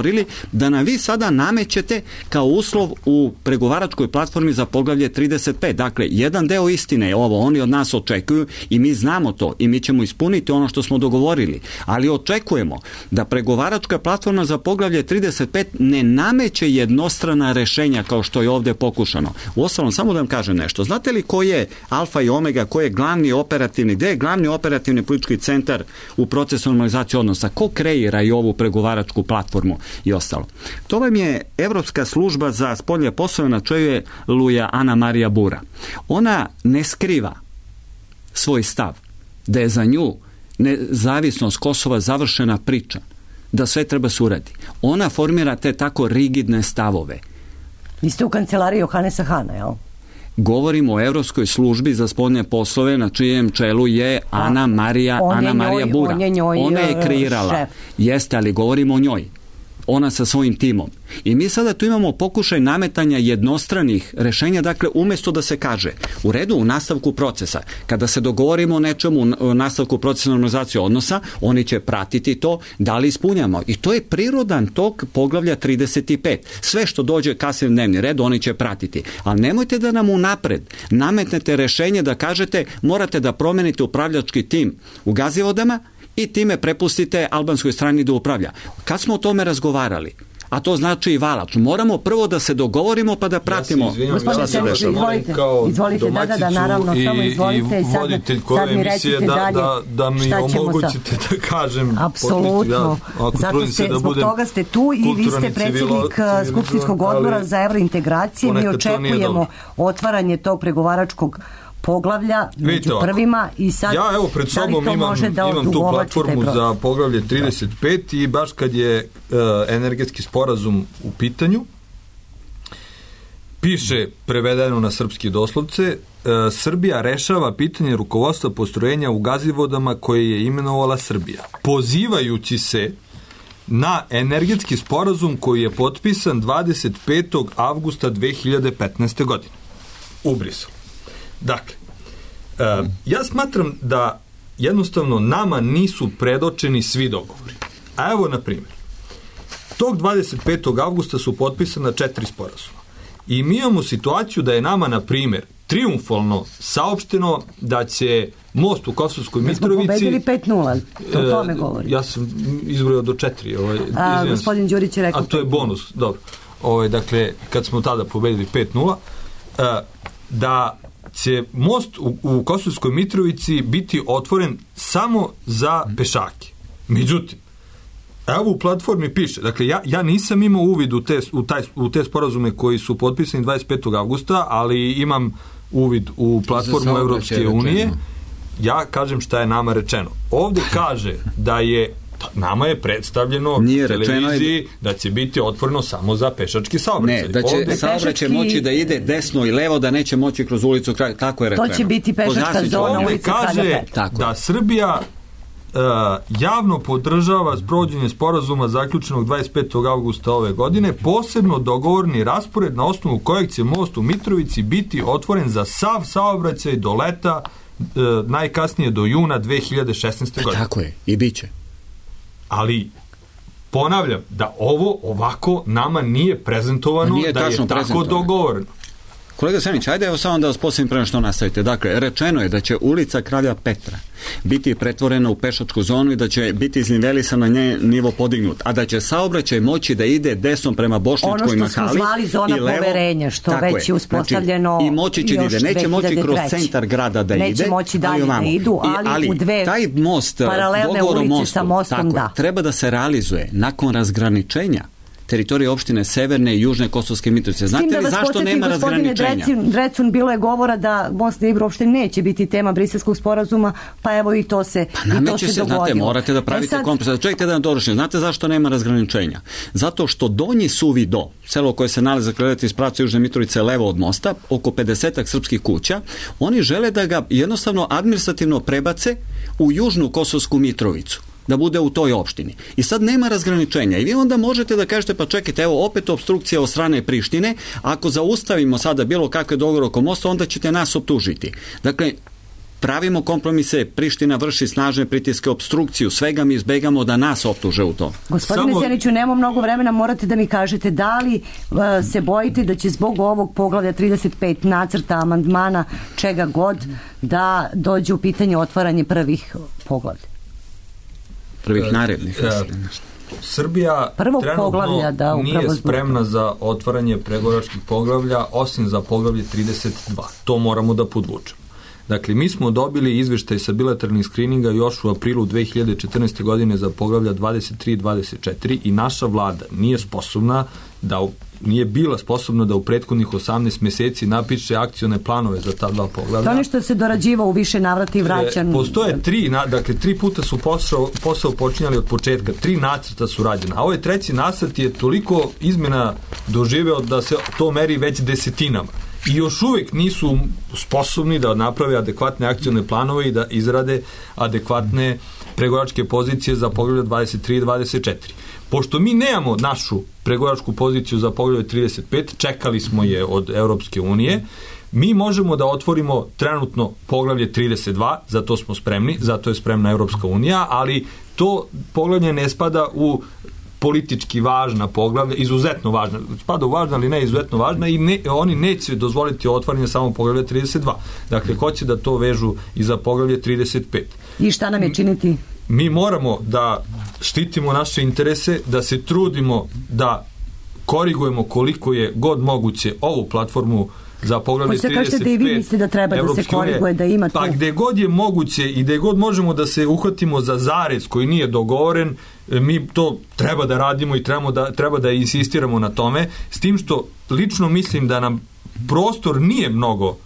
da nam vi sada namećete kao uslov u pregovaračkoj platformi za poglavlje 35. Dakle, jedan deo istine je ovo, oni od nas očekuju i mi znamo to i mi ćemo ispuniti ono što smo dogovorili, ali očekujemo da pregovaračka platforma za poglavlje 35 ne nameće jednostrana rešenja kao što je ovdje pokušano. Uostalom, samo da vam kažem nešto. Znate li ko je alfa i omega, ko je glavni operativni, gde je glavni operativni politički centar u procesu normalizacije odnosa? Ko kreira i ovu pregovaračku platformu i ostalo? To vam je Evropska služba za spoljne poslove, na čelu je Luja Ana Marija Bura. Ona ne skriva svoj stav da je za nju nezavisnost Kosova završena priča, da sve treba se uradi. Ona formira te tako rigidne stavove. Vi ste u kancelariji Johanesa Hana, jel? Govorimo o Evropskoj službi za spoljne poslove, na čijem čelu je Ana Marija Bura. Ona je kreirala. Šef. Jeste, ali govorimo o njoj. Ona sa svojim timom. I mi sada tu imamo pokušaj nametanja jednostranih rešenja, dakle, umjesto da se kaže u redu, u nastavku procesa, kada se dogovorimo o nečemu u nastavku procesa normalizacije odnosa, oni će pratiti to, da li ispunjamo. I to je prirodan tok poglavlja 35. Sve što dođe kasnije u dnevni red, oni će pratiti. Ali nemojte da nam unapred nametnete rešenje da kažete morate da promenite upravljački tim u Gazivodama i time prepustite albanskoj strani da upravlja. Kad smo o tome razgovarali, a to znači i Valač, moramo prvo da se dogovorimo pa da pratimo. Ja se izvinjam, izvolite, da, naravno, samo izvolite i voditelj koje emisije da mi omogućite da kažem. Apsolutno, zbog toga ste tu i vi ste predsjednik Skupštinskog odbora za evrointegracije. Mi očekujemo otvaranje tog pregovaračkog poglavlja među prvima i sad ja evo pred sobom imam tu platformu za poglavlje 35 i baš kad je energetski sporazum u pitanju piše prevedeno na srpski doslovce Srbija rešava pitanje rukovodstva postrojenja u Gazivodama koje je imenovala Srbija, pozivajući se na energetski sporazum koji je potpisan 25. avgusta 2015. godine u Briselu. Dakle, ja smatram da jednostavno nama nisu predočeni svi dogovori. A evo, na primjer, tog 25. avgusta su potpisana 4 sporazuma. I mi imamo situaciju da je nama, na primjer, triumfalno saopšteno da će most u Kosovskoj Mitrovici... Mi smo pobedili 5-0, o tome govorim. Ja sam izbrojao do 4. Gospodin Đurić je rekao... A to je bonus, dobro. Dakle, kad smo tada pobedili 5-0, da će most u Kosovskoj Mitrovici biti otvoren samo za pešake. Međutim, evo u platformi piše, dakle ja nisam imao uvid u te sporazume koji su potpisani 25. avgusta, ali imam uvid u platformu Evropske unije. Ja kažem šta je nama rečeno. Ovdje kaže da je nama je predstavljeno televiziji da će biti otvoreno samo za pešački saobraćaj. Ne, da će saobraćaj moći da ide desno i levo, da neće moći kroz ulicu, tako je rečeno. To će biti pešačka zona ulica kaže da Srbija javno podržava sprovođenje sporazuma zaključenog 25. avgusta ove godine, posebno dogovorni raspored na osnovu kojeg će most u Mitrovici biti otvoren za sav saobraćaj do leta, najkasnije do juna 2016. godine. Tako je, i bit će. Ali ponavljam da ovo ovako nama nije prezentovano, da je tako dogovoreno. Kolega Senić, ajde evo samo da vas posljednim prema što nastavite. Dakle, rečeno je da će ulica Kralja Petra biti pretvorena u pešačku zonu i da će biti iznivelisan na nje nivo podignut, a da će saobraćaj moći da ide desnom prema Bošnjačkoj mahali. Ono što smo zvali zona poverenja, što već je uspostavljeno. Znači, i moći će da ide. Neće moći kroz centar grada da ide. Neće moći dalje da idu, ali u dve taj most, paralelne ulice sa mostom, da. Treba da se realizuje nakon razgraničenja teritorije opštine Severne i Južne Kosovske Mitrovice. Znate li zašto nema razgraničenja? Drecun, bilo je govora da Bosna i Ibro uopšte neće biti tema Briselskog sporazuma, pa evo i to se dogodilo. Znate, morate da pravite kompromis. Čekajte da dovršim. Znate zašto nema razgraničenja? Zato što Donji Suvi Do, selo koje se nalazi iz pravca Južne Mitrovice levo od mosta, oko 50 srpskih kuća, oni žele da ga jednostavno administrativno prebace u Južnu Kosovsku Mitrovicu, da bude u toj opštini. I sad nema razgraničenja. I vi onda možete da kažete, pa čekajte, evo opet opstrukcija od strane Prištine, ako zaustavimo sada bilo kakve dogovore oko mosta, onda ćete nas optužiti. Dakle, pravimo kompromise, Priština vrši snažne pritiske, opstrukciju, svega mi izbegamo da nas optuže u to. Gospodine Seniću, nemamo mnogo vremena, morate da mi kažete da li se bojite da će zbog ovog poglavlja 35 nacrta, amandmana, čega god, da dođe u pitanje otvaranje prvih poglavlja? Prvih narednih. Srbija trenutno nije spremna za otvaranje pregovaračkih poglavlja, osim za poglavlje 32. To moramo da podvučemo. Dakle, mi smo dobili izveštaj sa bilateralnih skrininga još u aprilu 2014. godine za poglavlja 23 i 24 i naša vlada nije bila sposobna da u prethodnih 18 mjeseci napiše akcione planove za ta dva poglavlja. To nešto se dorađiva u više navrata i vraćan. Postoje tri puta su posao počinjali od početka, 3 nacrta su rađena, a ovaj 3. nacrt je toliko izmjena doživeo da se to meri već desetinama. I još uvijek nisu sposobni da naprave adekvatne akcione planove i da izrade adekvatne pregovaračke pozicije za poglavlje 23 i 24. Pošto mi nemamo našu pregovaračku poziciju za poglavlje 35, čekali smo je od Europske unije, mi možemo da otvorimo trenutno poglavlje 32, za to smo spremni, zato je spremna Europska unija, ali to poglavlje ne spada u politički važna poglavlja, izuzetno važna, spada u važna, ali ne izuzetno važna i oni neće dozvoliti otvaranje samo poglavlja 32. Dakle, hoće da to vežu i za poglavlje 35. I šta nam je činiti? Mi moramo da štitimo naše interese, da se trudimo da korigujemo koliko je god moguće ovu platformu za poglavlje 35. Kažete da i vi mislite da treba da se koriguje, da ima to? Pa gde god je moguće i gde god možemo da se uhvatimo za zarez koji nije dogovoren, mi to treba da radimo i treba da insistiramo na tome, s tim što lično mislim da nam prostor nije mnogo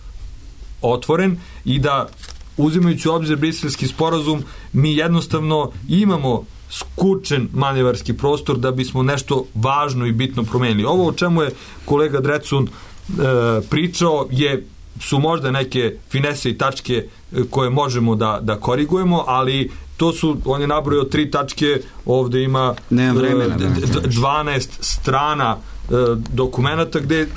otvoren i da, uzimajući u obzir Briselski sporazum, mi jednostavno imamo skučen manevarski prostor da bismo nešto važno i bitno promenili. Ovo o čemu je kolega Drecun pričao su možda neke finese i tačke koje možemo da korigujemo, ali to su, on je nabrojao 3 tačke, ovde ima 12 strana dokumenata gde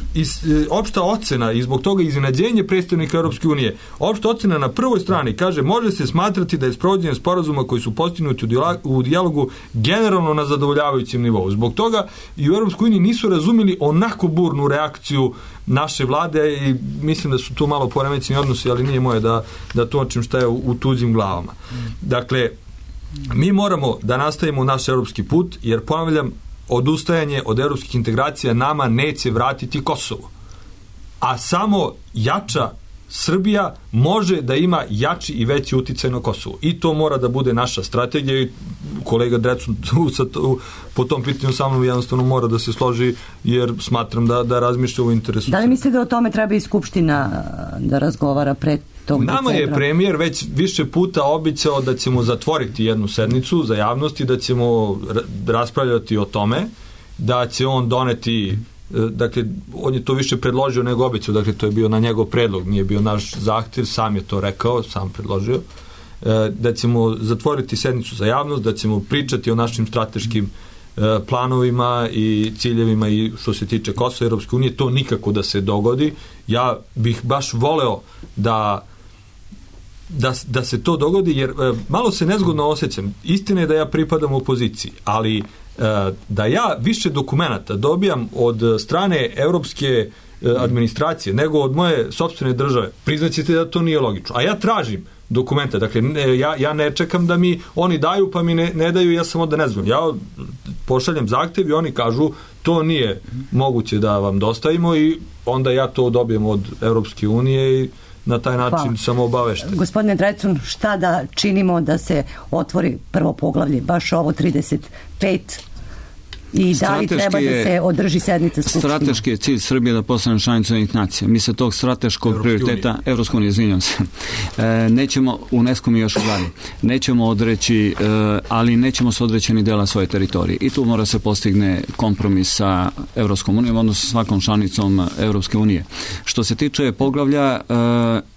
opšta ocena i zbog toga iznenađenje predstavnika Europske unije. Opšta ocena na prvoj strani kaže: može se smatrati da je sprovođenje sporazuma koji su postignuti u dijalogu generalno na zadovoljavajućem nivou. Zbog toga i u Europskoj uniji nisu razumeli onako burnu reakciju naše vlade i mislim da su tu malo poremećeni odnosi, ali nije moje da točim šta je u tuđim glavama. Dakle, mi moramo da nastavimo naš europski put, jer ponavljam, odustajanje od europskih integracija nama neće vratiti Kosovo. A samo jača Srbija može da ima jači i veći uticaj na Kosovo. I to mora da bude naša strategija i kolega Drecun po tom pitanju sa mnom jednostavno mora da se složi, jer smatram da razmišlja u interesu. Da li mislite da o tome treba i Skupština da razgovara pred tog decembra? Nama je premijer već više puta obećao da ćemo zatvoriti jednu sednicu za javnost i da ćemo raspravljati o tome, da će on doneti, dakle, on je to više predložio nego obećao, dakle, to je bio na njegov predlog, nije bio naš zahtjev, sam je to rekao, sam predložio, da ćemo zatvoriti sednicu za javnost, da ćemo pričati o našim strateškim planovima i ciljevima i što se tiče Kosova i Europske unije. To nikako da se dogodi. Ja bih baš voleo da se to dogodi, jer malo se nezgodno osjećam. Istina je da ja pripadam opoziciji, ali da ja više dokumenata dobijam od strane Europske administracije, nego od moje sopstvene države, priznaćete da to nije logično. A ja tražim dokumenta, dakle ja ne čekam da mi oni daju pa mi ne daju, ja samo da ne znam. Ja pošaljem zahtev i oni kažu to nije moguće da vam dostavimo i onda ja to dobijem od Evropske unije i na taj način samo obavešten. Gospodine Drecun, šta da činimo da se otvori prvo poglavlje, baš ovo 35 i da li treba da se održi sednica Skupštine? Strateški je cilj Srbije da postane članica Ujedinjenih nacija. Mi se tog strateškog prioriteta, Evropske unije, izvinjam se, nećemo, UNESCO mi još u glavi, nećemo odreći, ali nećemo se odreći ni dela svoje teritorije. I tu mora se postigne kompromis sa Evropskom unijom, odnosno svakom članicom Evropske unije. Što se tiče poglavlja,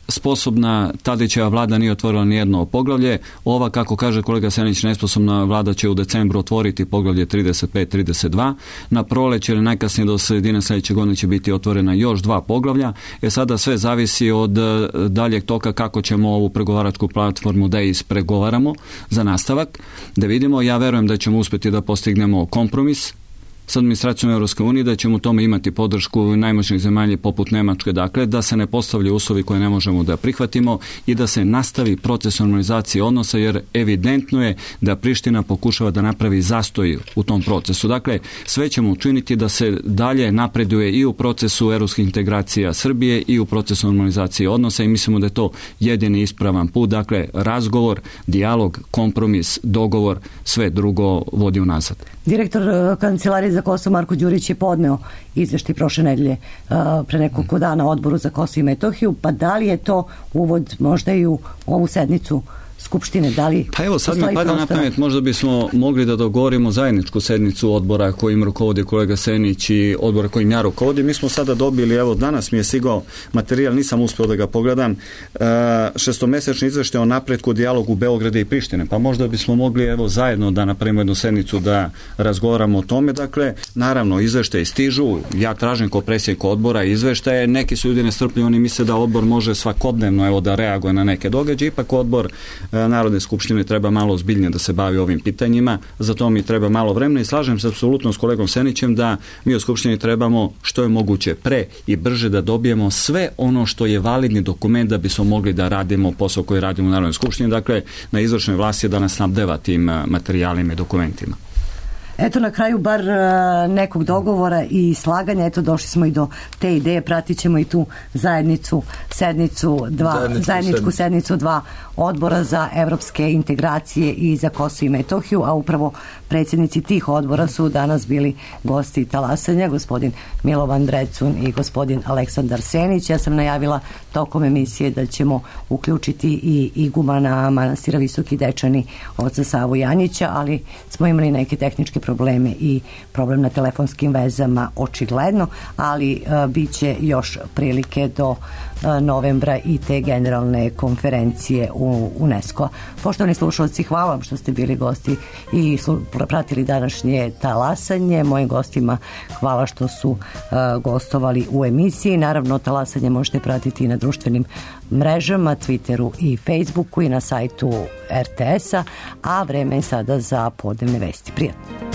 sposobna Tadićeva vlada nije otvorila nijedno poglavlje. Ova, kako kaže kolega Senić, nesposobna vlada će u decembru otvoriti poglavlje 35-32. Na proleće ili najkasnije do sredine sljedeće godine će biti otvorena još 2 poglavlja. Sada sve zavisi od daljeg toka kako ćemo ovu pregovaračku platformu da ispregovaramo za nastavak. Da vidimo, ja verujem da ćemo uspjeti da postignemo kompromis s administracijom Evropske unije, da ćemo u tome imati podršku najmoćnijih zemalja poput Nemačke, dakle da se ne postavljaju uslovi koje ne možemo da prihvatimo i da se nastavi proces normalizacije odnosa, jer evidentno je da Priština pokušava da napravi zastoj u tom procesu. Dakle, sve ćemo učiniti da se dalje napreduje i u procesu evropskih integracija Srbije i u procesu normalizacije odnosa i mislimo da je to jedini ispravan put. Dakle, razgovor, dijalog, kompromis, dogovor, sve drugo vodi unazad. Direktor Kancelarije za Kosovo Marko Đurić je podneo izveštaj prošle nedelje pre nekoliko dana Odboru za Kosovo i Metohiju, pa da li je to uvod možda i u ovu sednicu Skupštine, da li pa evo sad mi pada na pamet, možda bismo mogli da dogovorimo zajedničku sednicu odbora kojim rukovodi kolega Senić i odbora kojim ja rukovodim. Mi smo sada dobili, evo danas mi je stigao materijal, nisam uspio da ga pogledam, 6-mesečni izveštaj o napretku dijalogu Beograda i Prištine, pa možda bismo mogli evo zajedno da napravimo jednu sednicu da razgovaramo o tome. Dakle, naravno izveštaje stižu, ja tražim kao predsjednik odbora izveštaje, neki su ljudi nestrpljivi, oni misle da odbor može svakodnevno evo da reaguje na neke događaje, ipak odbor Narodne skupštine treba malo ozbiljnije da se bavi ovim pitanjima, za to mi treba malo vremena i slažem se apsolutno s kolegom Senićem da mi u skupštini trebamo što je moguće pre i brže da dobijemo sve ono što je validni dokument da bismo mogli da radimo posao koji radimo u Narodnoj skupštini, dakle na izvršnoj vlasti da nas snabdeva tim materijalima i dokumentima. Eto na kraju bar nekog dogovora i slaganja, eto došli smo i do te ideje, pratit ćemo i tu zajedničku sednicu 2 odbora za evropske integracije i za Kosovo i Metohiju, a upravo predsjednici tih odbora su danas bili gosti talasanja, gospodin Milovan Drecun i gospodin Aleksandar Senić. Ja sam najavila tokom emisije da ćemo uključiti i igumana manastira Visoki Dečani oca Savu Janjića, ali smo imali neke tehničke probleme i problem na telefonskim vezama očigledno, ali bit će još prilike do novembra i te generalne konferencije u UNESCO. Poštovani slušalci, hvala vam što ste bili gosti i pratili današnje talasanje. Mojim gostima hvala što su gostovali u emisiji. Naravno, talasanje možete pratiti i na društvenim mrežama, Twitteru i Facebooku i na sajtu RTS-a, a vreme je sada za podnevne vesti. Prijatno.